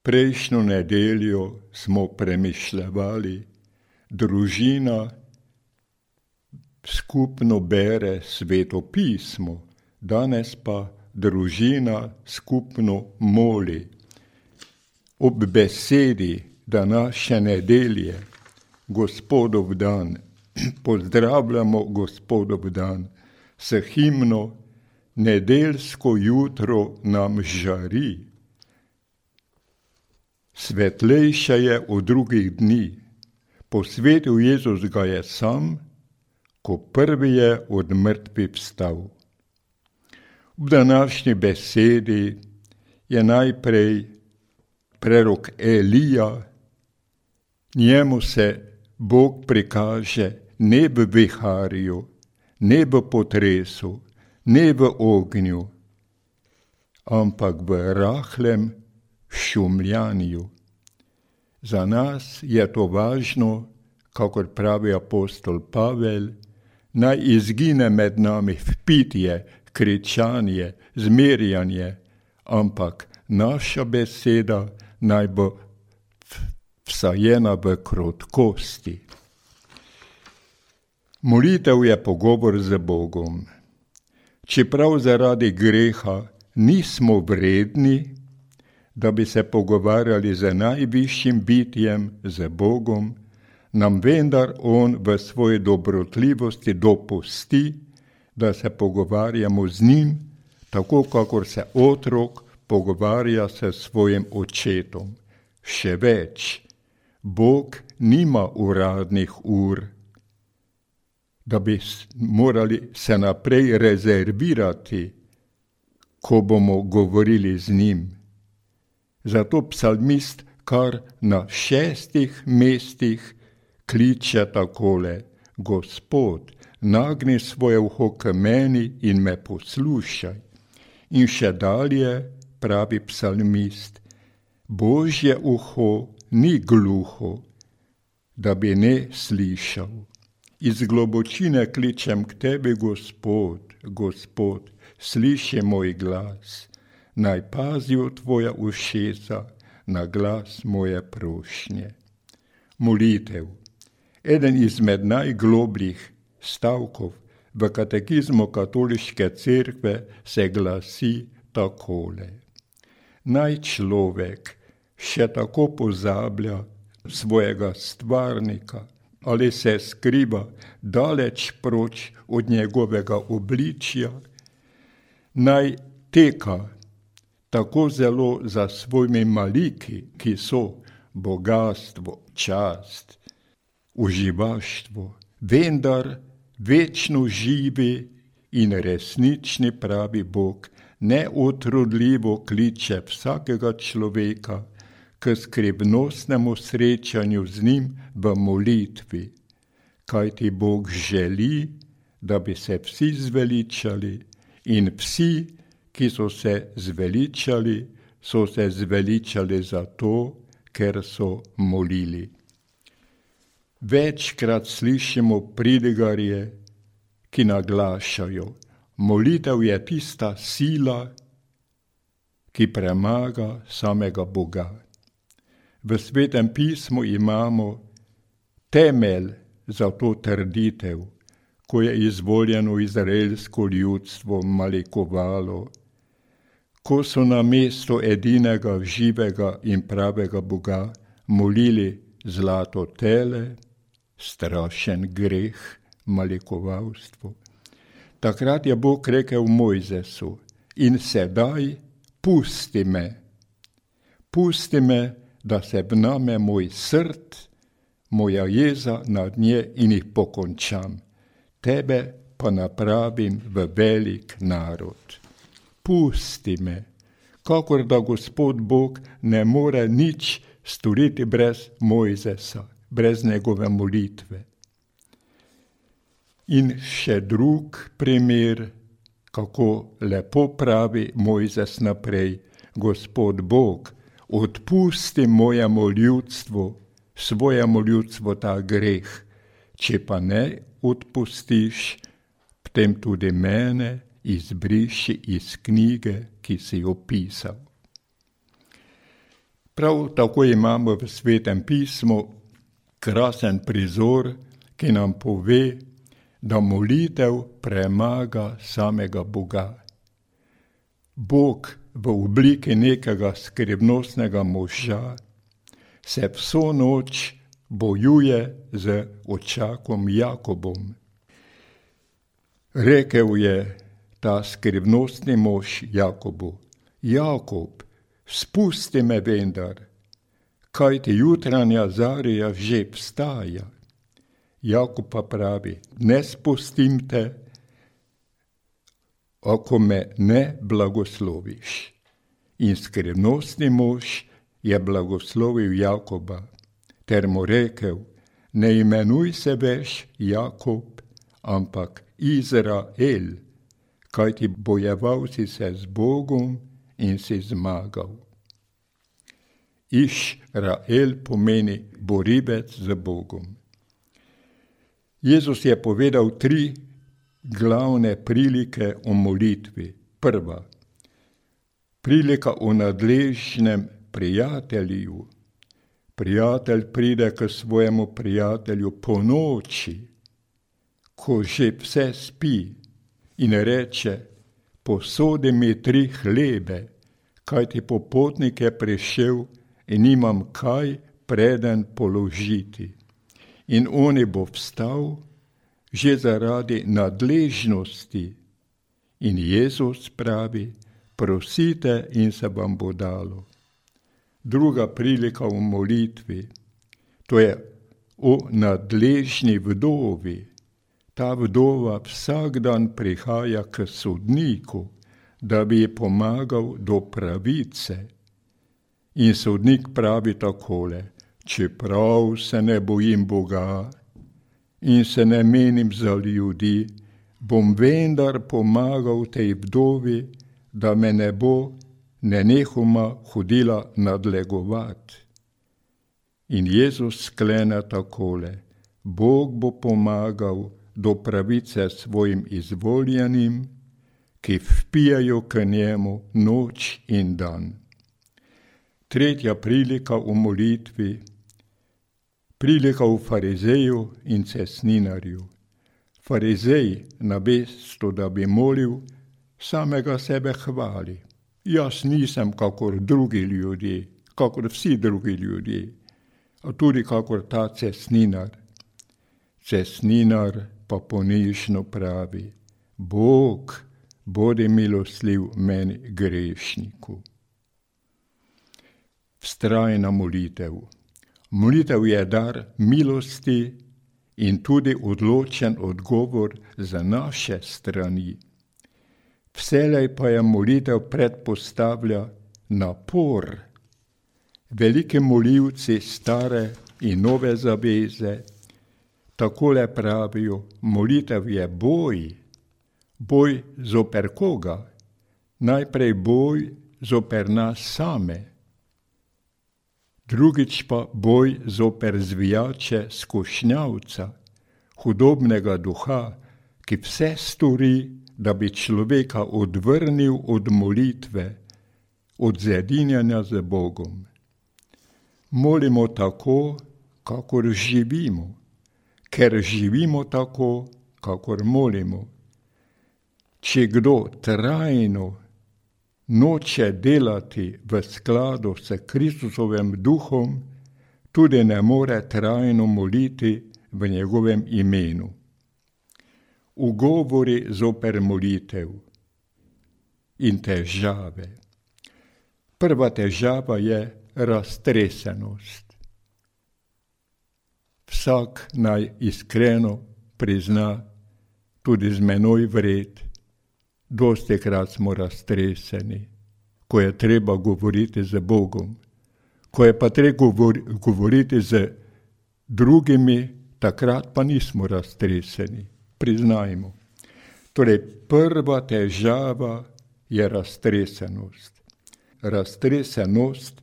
Prejšnjo nedeljo smo premišljevali, družina skupno bere Sveto pismo, danes pa družina skupno moli. Ob besedi današnje nedelje, Gospodov dan, pozdravljamo Gospodov dan s himno Nedeljsko jutro nam žari. Svetlejše je od drugih dni, posvetil Jezus ga je sam, ko prvi je od mrtvih vstal. V današnji besedi je najprej prerok Elija, njemu se Bog prikaže ne v viharju, ne v potresu, ne v ognju, ampak v rahlem šumljanju. Za nas je to važno, kakor pravi apostol Pavel, naj izgine med nami vpitje, kričanje, zmerjanje, ampak naša beseda naj bo vsajena v krotkosti. Molitev je pogovor z Bogom. Čeprav zaradi greha nismo vredni, da bi se pogovarjali z najvišjim bitjem, z Bogom, nam vendar On v svoji dobrotljivosti dopusti, da se pogovarjamo z njim, tako kakor se otrok pogovarja s svojim očetom. Še več, Bog nima uradnih ur, da bi morali se naprej rezervirati, ko bomo govorili z njim. Zato psalmist kar na 6 mestih kliče takole: Gospod, nagni svoje uho k meni in me poslušaj. In še dalje pravi psalmist: Božje uho ni gluho, da bi ne slišal. Iz globočine kličem k tebi, Gospod, Gospod, sliši moj glas. Naj pazijo tvoja ušesa na glas moje prošnje. Molitev. Eden izmed najglobljih stavkov v katekizmu katoliške cerkve se glasi takole: Naj človek še tako pozablja svojega stvarnika ali se skriva daleč proč od njegovega obličja, naj teka tako zelo za svojimi maliki, ki so bogastvo, čast, uživaštvo, vendar večno živi in resnični pravi Bog neutrudljivo kliče vsakega človeka k skrivnostnemu srečanju z njim v molitvi, kajti Bog želi, da bi se vsi zveličali in vsi, ki so se zveličali zato, ker so molili. Večkrat slišimo pridigarje, ki naglašajo: molitev je tista sila, ki premaga samega Boga. V Svetem pismu imamo temelj za to trditev, ko je izvoljeno izraelsko ljudstvo malikovalo, ko so na mesto edinega živega in pravega Boga molili zlato tele, strašen greh, malikovalstvo. Takrat je Bog rekel Mojzesu: in sedaj pusti me, da se vname moj srd, moja jeza nad nje in jih pokončam. Tebe pa napravim v velik narod. Pusti me, kakor da Gospod Bog ne more nič storiti brez Mojzesa, brez njegove molitve. In še drug primer, kako lepo pravi Mojzes naprej: Gospod Bog, odpusti svojemu ljudstvu ta greh, če pa ne odpustiš, potem tudi mene izbriši iz knjige, ki si jo pisal. Prav tako imamo v Svetem pismu krasen prizor, ki nam pove, da molitev premaga samega Boga. Bog v obliki nekega skrivnostnega moža se vso noč bojuje z očakom Jakobom. Rekel je ta skrivnostni mož Jakobu: Jakob, spusti me vendar, kajti jutranja zarja že vstaja. Jakob pa pravi: ne spustim te, ako me ne blagosloviš. In skrivnostni mož je blagoslovil Jakoba, ter mu rekel: ne imenuj se več Jakob, ampak Izrael, kajti bojeval si se z Bogom in si zmagal. Izrael pomeni borivec z Bogom. Jezus je povedal 3 glavne prilike o molitvi. Prva, prilika o nadležnem prijatelju. Prijatelj pride k svojemu prijatelju po noči, ko že vse spi, in reče: posodi mi 3 hlebe, kajti popotnik je prišel in nimam kaj preden položiti. In on bo vstal že zaradi nadležnosti. In Jezus pravi: prosite in se vam bo dalo. Druga prilika v molitvi, to je o nadležni vdovi. Ta vdova vsak dan prihaja k sodniku, da bi ji pomagal do pravice. In sodnik pravi takole: čeprav se ne bojim Boga in se ne menim za ljudi, bom vendar pomagal tej vdovi, da me ne bo nenehoma hodila nadlegovat. In Jezus sklene takole: Bog bo pomagal do pravice svojim izvoljenim, ki vpijajo k njemu noč in dan. Tretja prilika v molitvi, prilika v farizeju in cestninarju. Farizej, namesto da bi molil, samega sebe hvali. Jaz nisem kakor drugi ljudje, kakor vsi drugi ljudje, a tudi kakor ta cestninar. Cestninar pa ponižno pravi: Bog, bodi milostljiv meni grešniku. Vztrajna molitev. Molitev je dar milosti in tudi odločen odgovor za naše strani. Vselej pa je molitev predpostavlja napor. Veliki molilci stare in nove zaveze takole pravijo: molitev je boj. Boj zoper koga? Najprej boj zoper nas same. Drugič pa boj zoper zvijače skušnjavca, hudobnega duha, ki vse stori, da bi človeka odvrnil od molitve, od zedinjanja z Bogom. Molimo tako, kakor živimo, ker živimo tako, kakor molimo. Če kdo trajno noče delati v skladu s Kristusovim duhom, tudi ne more trajno moliti v njegovem imenu. Ugovori zoper molitev in težave. Prva težava je raztresenost. Vsak naj iskreno prizna, tudi z menoj vred, dostikrat smo raztreseni, ko je treba govoriti z Bogom. Ko je pa treba govoriti z drugimi, takrat pa nismo raztreseni. Priznajmo. Torej, prva težava je raztresenost. Raztresenost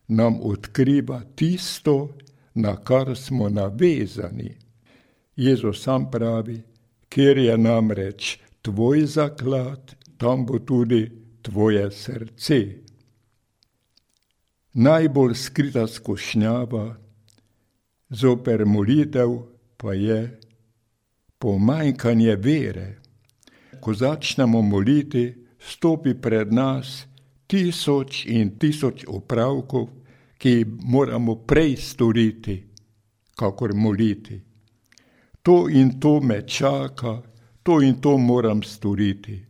nam odkriva tisto, na kar smo navezani. Jezus sam pravi: kjer je namreč tvoj zaklad, tam bo tudi tvoje srce. Najbolj skrita skušnjava zoper molitev pa je pomanjkanje vere. Ko začnemo moliti, stopi pred nas 1000 in 1000 opravkov, ki moramo prej storiti, kakor moliti. To in to me čaka, to in to moram storiti.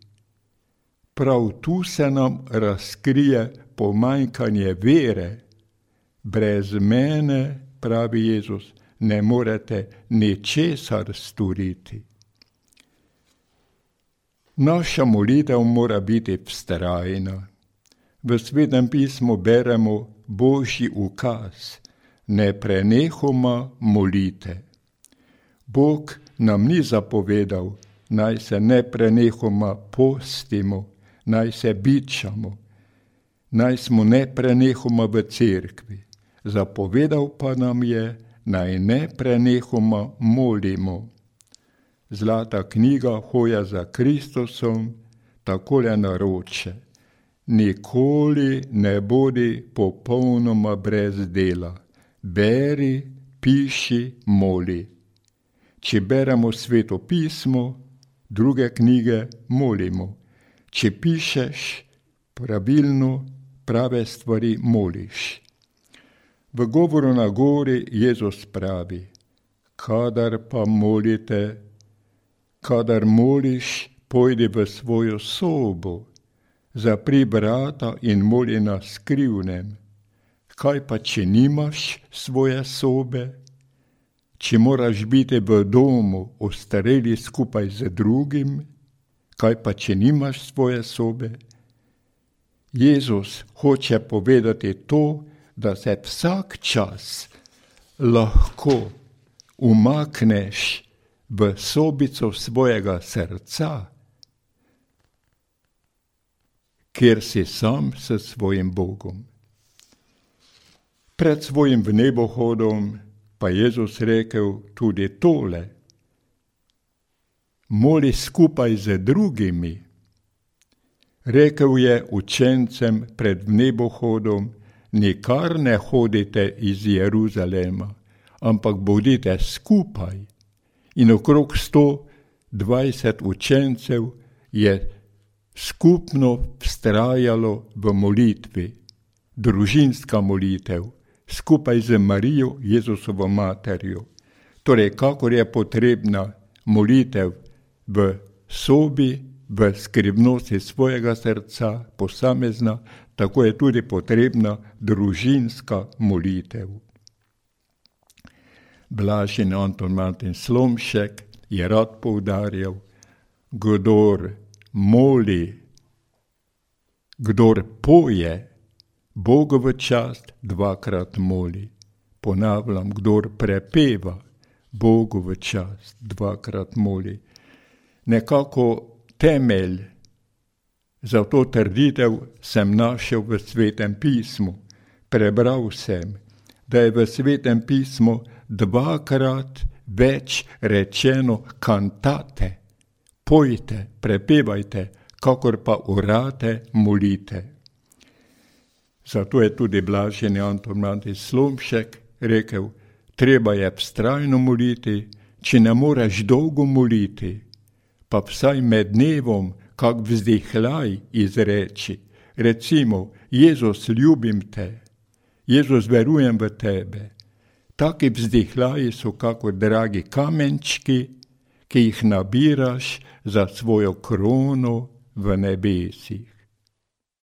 Prav tu se nam razkrije pomanjkanje vere. Brez mene, pravi Jezus, ne morete ničesar storiti. Naša molitev mora biti vztrajna. V Svetem pismu beremo Božji ukaz, ne prenehoma molite. Bog nam ni zapovedal, naj se ne prenehoma postimo, naj se bičamo, naj smo ne prenehoma v cerkvi. Zapovedal pa nam je, naj ne prenehoma molimo. Zlata knjiga Hoja za Kristusom takole naroče: nikoli ne bodi popolnoma brez dela. Beri, piši, moli. Če beremo Sveto pismo, druge knjige, molimo. Če pišeš pravilno, prave stvari, moliš. V govoru na gori Jezus pravi: kadar pa molite, kadar moliš, pojdi v svojo sobo, zapri vrata in moli na skrivnem. Kaj pa, če nimaš svoje sobe? Če moraš biti v domu, ostareli skupaj z drugim? Kaj pa, če nimaš svoje sobe? Jezus hoče povedati to, da se vsak čas lahko umakneš v sobico svojega srca, kjer si sam s svojim Bogom. Pred svojim vnebohodom pa Jezus rekel tudi tole: moli skupaj z drugimi. Rekel je učencem pred vnebohodom: nikar ne hodite iz Jeruzalema, ampak bodite skupaj. In okrog 120 učencev je skupno vztrajalo v molitvi, družinska molitev, skupaj z Marijo, Jezusovo materjo. Torej, kakor je potrebna molitev v sobi, v skrivnosti svojega srca, posamezna, tako je tudi potrebna družinska molitev. Blaženi Anton Martin Slomšek je rad poudarjal: kdor moli, kdor poje, Bogu v čast dvakrat moli. Ponavljam, kdor prepeva, Bogu v čast dvakrat moli. Nekako temelj za to trditev sem našel v Svetem pismu. Prebral sem, da je v Svetem pismu dvakrat več rečeno kantate, pojte, prepevajte, kakor pa orate, molite. Zato je tudi blaženi Anton Martin Slomšek rekel: treba je vztrajno moliti, če ne moreš dolgo moliti, pa vsaj med dnevom kak vzdihljaj izreči. Recimo: Jezus, ljubim te, Jezus, verujem v tebe. Taki vzdihljaji so kakor dragi kamenčki, ki jih nabiraš za svojo krono v nebesih.